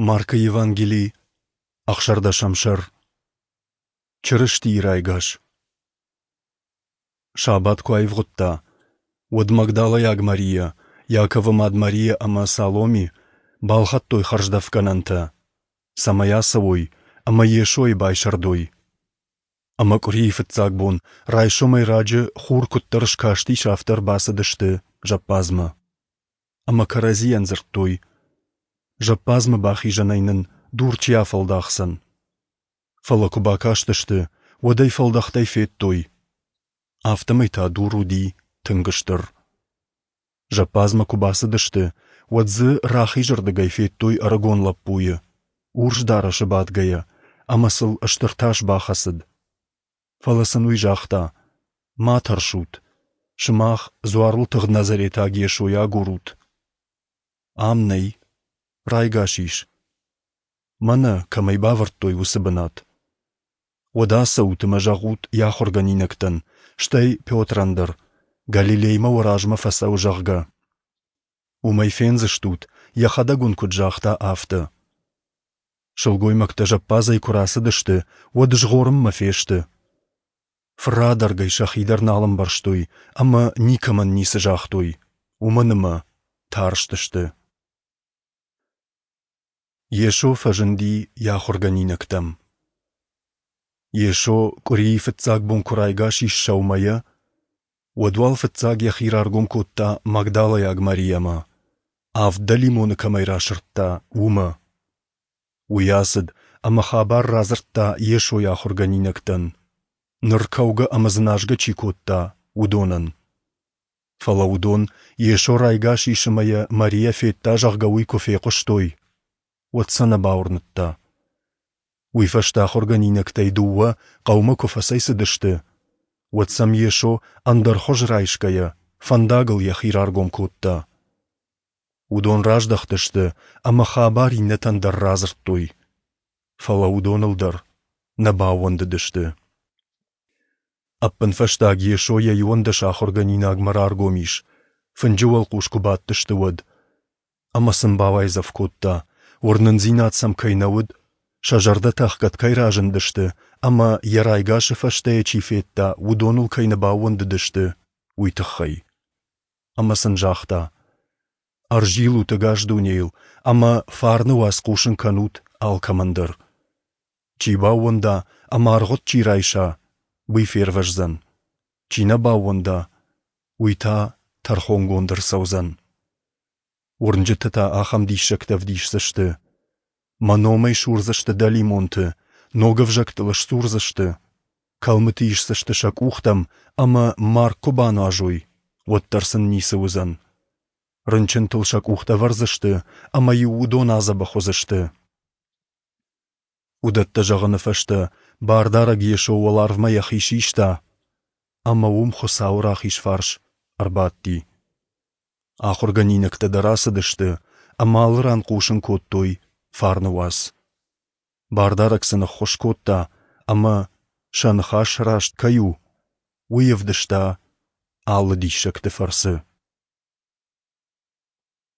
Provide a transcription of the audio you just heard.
Маркы Евангели, ӕхсӕрдӕсӕм сӕр. Чырыстийы райгас. Сабат куы аивгъуыдта, уӕд Магдалӕйаг Марийӕ, Иаковы мад Марийӕ ӕмӕ Саломи балхӕдтой хӕрздӕфгӕнӕнтӕ, цӕмӕй ацӕуой ӕмӕ Йесойы байсӕрдой. Ӕмӕ къуырийы фыццаг бон райсомӕй раджы хур куыддӕр скастис, афтӕ ӕрбацыдысты зӕппадзмӕ. Ӕмӕ кӕрӕдзийӕн дзырдтой: Зӕппадзмӕ бахизӕнӕй нын дур чи афӕлдахдзӕн? Фӕлӕ куы бакастысты, уӕд ӕй фӕлдӕхтӕй федтой. Афтӕмӕй та дур уыди тынг стыр. Зӕппадзмӕ куы бацыдысты, уӕд дзы рахизырдыгӕй федтой ӕрыгон лӕппуйы, урс дарӕсы бадгӕйӕ, ӕмӕ сыл стыр тас бахӕцыд. Фӕлӕ сын уый загъта: Ма тӕрсут, сымах дзуарыл тыгъд назаретаг Йесойы агурут. Ам нӕй, райгас ис. Мӕнӕ, кӕм ӕй бавӕрдтой, уыцы бынат. Уӕд ацӕут ӕмӕ зӕгъут йӕ ахуыргӕнинӕгтӕн, стӕй Петрӕн дӕр, Галилеймӕ уӕ размӕ фӕцӕуы, зӕгъгӕ. Уым ӕй фендзыстут, йӕхӕдӕг уын куыд загъта, афтӕ. Сылгоймӕгтӕ зӕппадзӕй куы рацыдысты, уӕд згъорынмӕ фесты. Фырадӕргӕй сӕхи дӕр нал ӕмбӕрстой ӕмӕ никӕмӕн ницы загътой, уымӕн ӕмӕ тарстысты. Йесо фӕзынди йӕ ахуыргӕнинӕгтӕм. Йесо къуырийы фыццаг бон куы райгас ис сӕумӕйӕ, уӕд уал фыццаг йӕхи раргом кодта Магдалӕйаг Мариамӕ, авд дӕлимоны кӕмӕй расырдта, уымӕ. Уый ацыд ӕмӕ хабар радзырдта Йесойы ахуыргӕнинӕгтӕн, ныр кӕугӕ ӕмӕ дзыназгӕ чи кодта, уыдонӕн. Фӕлӕ уыдон, Йесо райгас ис ӕмӕ йӕ Мариа федта, зӕгъгӕ, уый куы фехъуыстой, уӕд сӕ нӕ бауырныдта. Уый фӕстӕ ахуыргӕнинӕгтӕй дыууӕ хъӕумӕ куы фӕцӕйцыдысты, уӕд сӕм Йесо, ӕндӕр хуыз райсгӕйӕ, фӕндагыл йӕхи раргом кодта. Уыдон раздӕхтысты ӕмӕ хабар иннӕтӕн дӕр радзырдтой. Фӕлӕ уыдоныл дӕр нӕ баууӕндыдысты. Ӕппынфӕстаг Йесо йӕ иуӕндӕс ахуыргӕнинагмӕ раргом ис, фынджы уӕлхъус куы бадтысты, уӕд. Ӕмӕ сын бауайдзӕф кодта, уырнындзинад сӕм кӕй нӕ уыд, сӕ зӕрдӕтӕ ӕхгӕд кӕй разындысты ӕмӕ йӕ райгасы фӕстӕ йӕ чи федта, уыдоныл кӕй нӕ баууӕндыдысты, уый тыххӕй. Ӕмӕ сын загъта: Ӕрзилут ӕгас дунейыл ӕмӕ фарны уац хъусын кӕнут алкӕмӕн дӕр. Чи баууӕнда ӕмӕ аргъуыд чи райса, уый фервӕздзӕн. Чи нӕ баууӕнда, уый та тӕрхонгонд ӕрцӕудзӕн. Уырнджытӕ та ахӕм диссӕгтӕ ӕвдисдзысты. Мӕ номӕй сурдзысты дӕлимонты, ног ӕвзӕгтыл сдзурдзысты, кӕлмыты исдзысты сӕ къухтӕм ӕмӕ марг куы бануазой, уӕддӕр сын ницы уыдзӕн. Рынчынтыл сӕ къухтӕ ӕвӕрдзысты ӕмӕ-иу уыдон адзӕбӕх уыдзысты. Уыдӕттӕ зӕгъыны фӕстӕ Бардарӕг Йесо уӕларвмӕ йӕхи систа ӕмӕ уым Хуыцауы рахиз фарс ӕрбадти. Ахуыргӕнинӕгтӕ дӕр ацыдысты ӕмӕ алы ран хъусын кодтой фарны уац. Бардарӕг сын ӕххуыс кодта ӕмӕ, сӕ ныхас раст кӕй у, уый ӕвдыста алы диссӕгты фӕрцы.